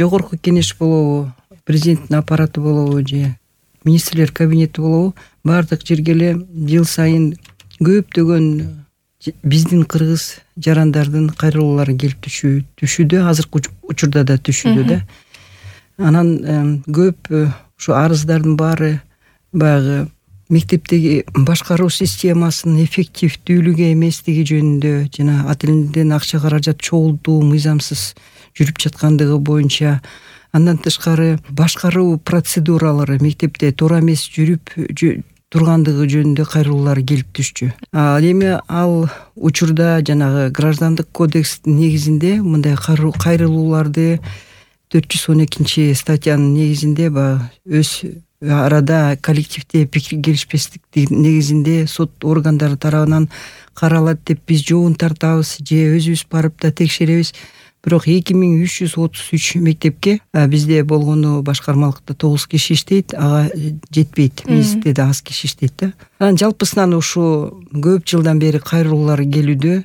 жогорку кеңеш болобу, президенттин аппараты болобу же министрлер кабинети болобу, баардык жерге эле жыл сайын көптөгөн биздин кыргыз жарандардын кайрылуулары келип түшүүдө, азыркы учурда да түшүүдө да. Анан көп ушу арыздардын баары баягы мектептеги башкаруу системасынын эффективдүүлүгү эместиги жөнүндө жана ат элинден акча каражат чогултуу мыйзамсыз жүрүп жаткандыгы боюнча, андан тышкары башкаруу процедуралары мектепте туура эмес жүрүп тургандыгы жөнүндө кайрылуулар келип түшчү. Ал эми ал учурда жанагы граждандык кодекстин негизинде мындай кайрылууларды 412 статьянын негизинде өз арада коллективде пикир келишпестиктин негизинде сот органдары тарабынан каралат деп биз жообун тартабыз же өзүбүз барып да текшеребиз. Бирок 2333 мектепке бизде болгону башкармалыкта 9 киши иштейт, ага жетпейт. Миздде да аз киши иштейт да. Анан жалпысынан ушу көп жылдан бери кайрылуулар келүүдө.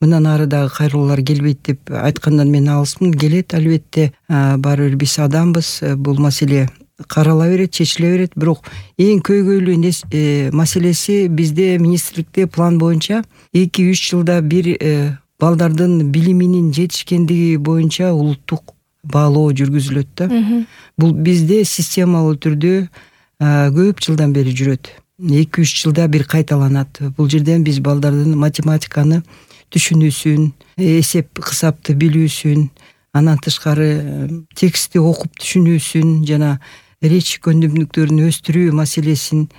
Мындан ары дагы кайрылуулар келбейт деп айткандан мен алысмын. Келет албетте, баары бир биз адамбыз. Бул маселе карала берет, чечиле берет. Бирок эң көйгөйлүү маселеси бизде министрликте план боюнча 2-3 жылда бир балдардын билиминин жетишкендиги боюнча улуттук баалоо жүргүзүлөт да. Бул бизде системалуу түрдө көп жылдан бери жүрөт. 2-3 жылда бир кайталанат. Бул жерден биз балдардын математиканы түшүнүүсүн, эсеп кысапты билүүсүн, андан тышкары текстти окуп түшүнүүсүн жана речь көндүмдүктөрүн өстүрүү маселесин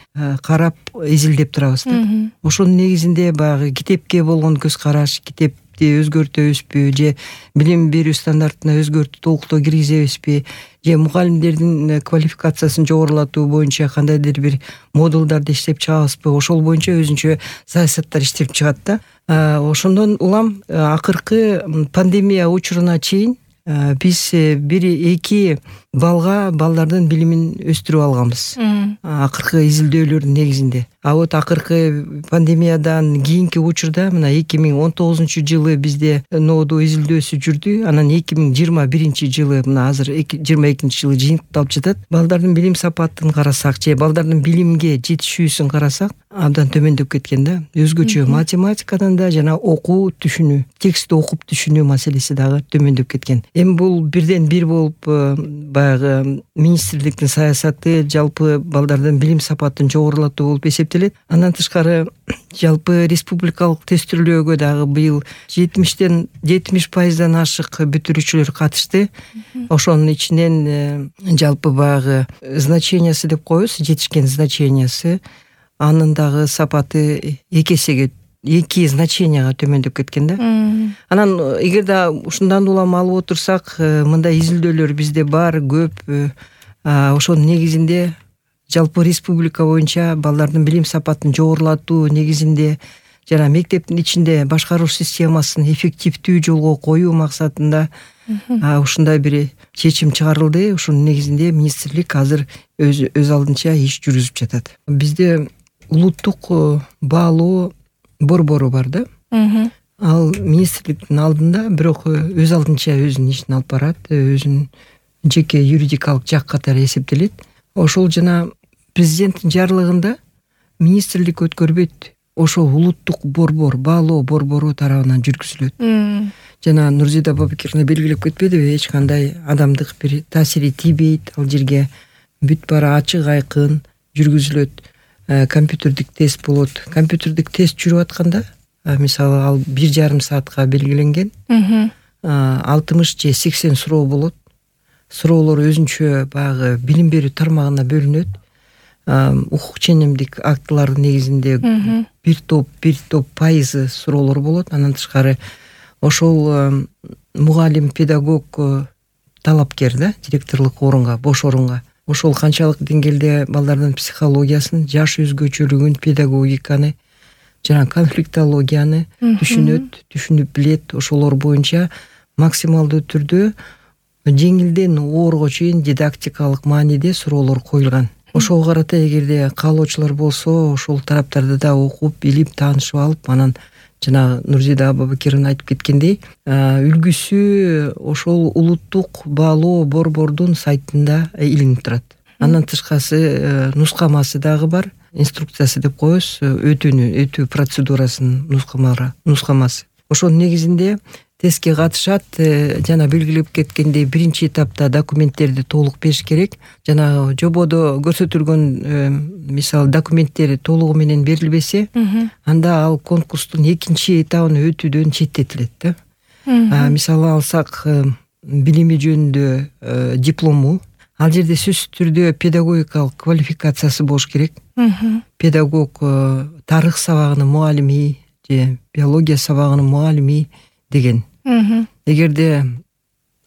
карап изилдеп турабыз да. Ошонун негизинде баягы китепке болгон көз караш, китепти өзгөртөбүзбү же билим берүү стандартына өзгөртүү толуктоо киргизебизби же мугалимдердин квалификациясын жогорулатуу боюнча кандайдыр бир модулдарды иштеп чыгабызбы, ошол боюнча өзүнчө саясаттар иштеп чыгат да. Ошондон улам акыркы пандемия учуруна чейин биз 1-2 балга балдардын билимин өстүрүп алганбыз. Акыркы изилдөөлөрдүн негизинде. А вот акыркы пандемиядан кийинки учурда мына 2019-жылы бизде ноодо изилдөөсү жүрдү. Анан 2021-жылы мына азыр 22-жылы жыйынтыкталып жатат. Балдардын билим сапатын карасак же балдардын билимге жетишүүсүн карасак абдан төмөндөп кеткен да. Өзгөчө математикадан да жана окуу түшүнүү, текстти окуп түшүнүү маселеси дагы төмөндөп кеткен. Эми бул бирден бир болуп баягы министрликтин саясаты жалпы балдардын билим сапатын жогорулатуу болуп эсептелет. Андан тышкары жалпы республикалык тестирлөөгө дагы быйыл 70% ашык бүтүрүүчүлөр катышты. Ошонун ичинен жалпы баягы значениясы деп коебуз, жетишкен значениясы, анын дагы сапаты 2 значенияга төмөндөп кеткен да. Анан эгерде ушундан улам алып отурсак, мындай изилдөөлөр бизде бар, көп. Ошонун негизинде жалпы республика боюнча балдардын билим сапатын жогорулатуу негизинде жана мектептин ичинде башкаруу системасын эффективдүү жолго коюу максатында ушундай бир чечим чыгарылды. Ушунун негизинде министрлик азыр өз алдынча иш жүргүзүп жатат. Бизде улуттук баалоо борбору бар да. Ал министрликтин алдында, бирок өз алдынча өзүнүн ишин алып барат, өзүнүн жеке юридикалык жак катары эсептелет. Ошол жана президенттин жарлыгында министрлик өткөрбөйт. Ошол улуттук борбор, баалоо борбору тарабынан жүргүзүлөт. Жана Нурзида Бабыкировна белгилеп кетпедиби, эч кандай адамдык бир таасири тийбейт. Ал жерге бүт баары ачык айкын жүргүзүлөт. Компьютердик тест болот. Компьютердик тест жүрүп атканда, мисалы ал 1,5 саатка белгиленген. 60 же 80 суроо болот. Суроолор өзүнчө баягы билим берүү тармагына бөлүнөт. Укук ченемдик актылардын негизинде бир топ пайызы суроолор болот. Андан тышкары ошол мугалим, педагог, талапкер да, директорлук орунга, бош орунга ошол канчалык деңгээлде балдардын психологиясын, жаш өзгөчөлүгүн, педагогиканы жана конфликтологияны түшүнүп билет. Ошолор боюнча максималдуу түрдө жеңилден оорго чейин дидактикалык мааниде суроолор коюлган. Ошого карата эгерде каалоочулар болсо, ошол тараптарды да окуп, билип, таанышып алып, анан жана Нурзида Абабакирова айтып кеткендей, үлгүсү ошол улуттук баалоо борбордун сайтында илинип турат. Андан тышкары нускамасы дагы бар. Инструкциясы деп коебуз, өтүү процедурасынын нускамасы. Ошонун негизинде тестке катышат. Жана белгилеп кеткендей, биринчи этапта документтерди толук бериш керек. Жана жободо көрсөтүлгөн мисалы документтери толугу менен берилбесе, анда ал конкурстун экинчи этабын өтүүдөн четтетилет да. Мисалы алсак, билими жөнүндө диплому, ал жерде сөзсүз түрдө педагогикалык квалификациясы болуш керек. Педагог тарых сабагынын мугалими же биология сабагынын мугалими деген. Эгерде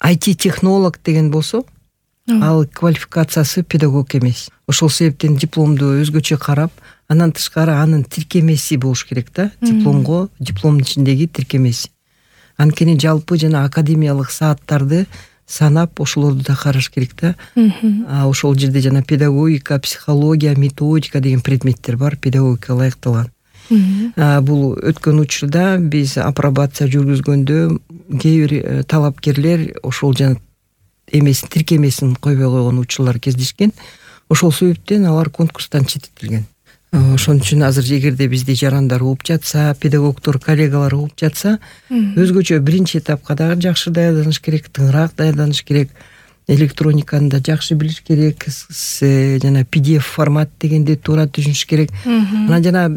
IT технолог деген болсо, ал квалификациясы педагог эмес. Ошол себептен дипломду өзгөчө карап, андан тышкары анын тиркемеси болуш керек да. Дипломдун ичиндеги тиркемеси. Анткени жалпы жана академиялык сааттарды санап, ошолорду да караш керек да. Ошол жерде жана педагогика, психология, методика деген предметтер бар, педагогика ылайыкталган. Бул өткөн учурда биз апробация жүргүзгөндө кээ бир талапкерлер ошол жана тиркемесин койбой койгон учурлар кездешкен. Ошол себептен алар конкурстан четтетилген. Ошон үчүн азыр эгерде бизди жарандар угуп жатса, педагогдор, коллегалар угуп жатса, өзгөчө биринчи этапка дагы жакшы даярданыш керек, тыңыраак даярданыш керек. Электрониканы да жакшы билиш керек, жана PDF формат дегенди туура түшүнүш керек. Анан жана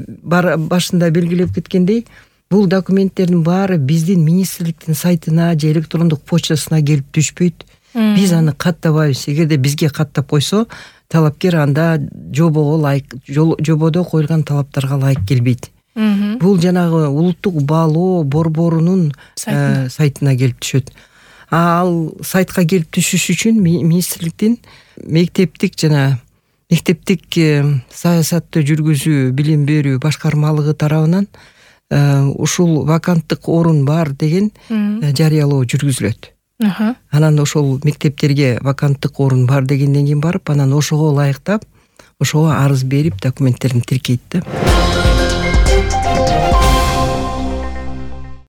башында белгилеп кеткендей, бул документтердин баары биздин министрликтин сайтына же электрондук почтасына келип түшпөйт. Биз аны каттабайбыз. Эгерде бизге каттап койсо, талапкер анда жободо коюлган талаптарга ылайык келбейт. Бул жанагы улуттук баалоо борборунун сайтына келип түшөт. Ал сайтка келип түшүш үчүн министрликтин мектептик саясатты жүргүзүү, билим берүү башкармалыгы тарабынан ушул ваканттык орун бар деген жарыялоо жүргүзүлөт. Анан ошол мектептерге ваканттык орун бар дегенден кийин барып, анан ошого ылайыктап, ошого арыз берип, документтерин тиркейт да.